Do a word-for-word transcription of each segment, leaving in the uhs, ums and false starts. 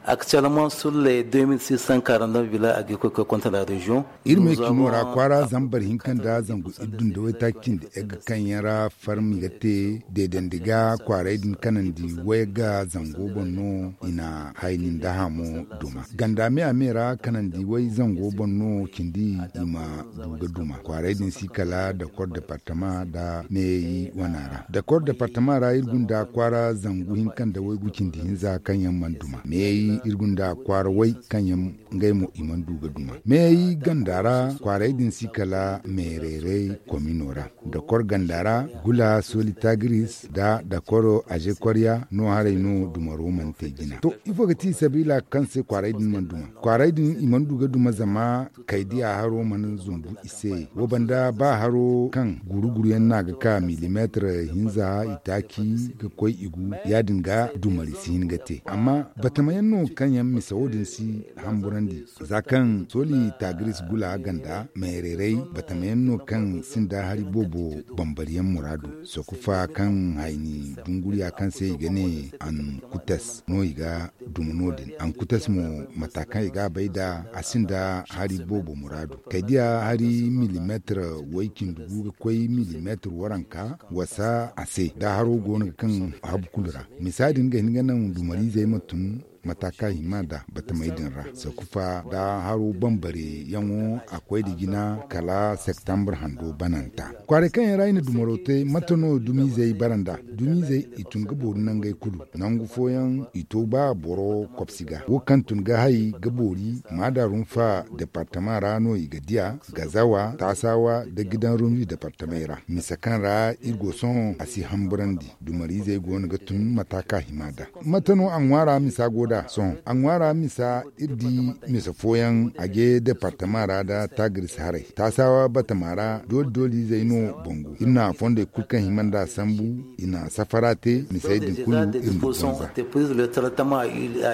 Actuellement sur les deux mille six cent quarante-neuf villages agricoles que compte la région. Iri me cino ra kwaara zambar hinka nda zangu iddu nda waytaaci cindi egga kaŋ yaŋ ra farmi ga te deedandi ga kwaaray din kanandi way ga zango boŋ no i na hayni nda hamo duma ganda me a me ra kanandi way zango boŋ no cindi i ma du ga duma kwaaray din si kala dakor departama nda meeyayi wana ra dakor departama ra iri gunda kwaara zangu hinka nda waygu cindi hinza kaŋ yaŋ mana duma meeyayi iri gunda kwaara way kaŋ yaŋ ngey mo i mana du ga duma meeyayi ganda ra kwaaray din si kala meerayray komino ra dakor ganda ra gula soli tagiris nda dakoro aze kwarya no haray no dumaro mana te jina to ifo ga ti sabiila kaŋ se kwaaray din mana duma kwaaray din i mana du ga duma zama kaydiya haro mana zumbu i se wo banda ba haro kaŋ guru-guru yaŋ no a ga ka milimeetar hinza itaaci ga koy i gu ya- din ga dumari si hin ga te amma batama yaŋ no kaŋ yaŋ misa wo- din si hamburandi za kaŋ soli tagiris gula ganda meerayray batama yaŋ no kaŋ sinda hari boobo bambari yaŋ muraadu sokufa kaŋ hayni dunguriya kaŋ se i ga ne ankutas no i ga duma no- din ankutas mo mata kaŋ i ga a bay nda a sinda hari boobo muraadu kaydiya hari milimeetar way-cindi gu ga koy milimeetar waranka wasa a se nda haro go no ga kaŋ habu kulu ra misa din ga hin ga naŋ dumariizey ma tun mata kaŋ a hima nda batamey din ra sakufa nda haro bambare yaŋo a koy nda jina kala septambur hando bananta kwaaray kaŋ yaŋ ra i na dumaro te mate no dumiizey bara nda dumiizey i tun ga boori nangey kulu nangu fooyaŋ i to ba boro kobsi ga wo kaŋ tun ga hay ga boori maada rumfa departama ra no i ga diya gazawa taasawa nda gidan rumzi departamey ra misa kaŋ ra iri go sohõ a si hamburandi dumariizey go no ga tun mata kaŋ a hima nda mate no a ŋwaara misa go nd'a sohõ a ŋwaara misa iri di misa fooyaŋ a je departama ra nda tagiris haray taasawa batama ra dooli-dooliizey no bangu iri na fondey kulu kaŋ hima nd'a sambu i na safara te misey din kulu iri ma banza. Des prises, le traitement a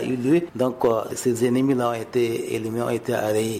eu lieu, donc ces ennemis là ont été éliminés, ont été arrayés.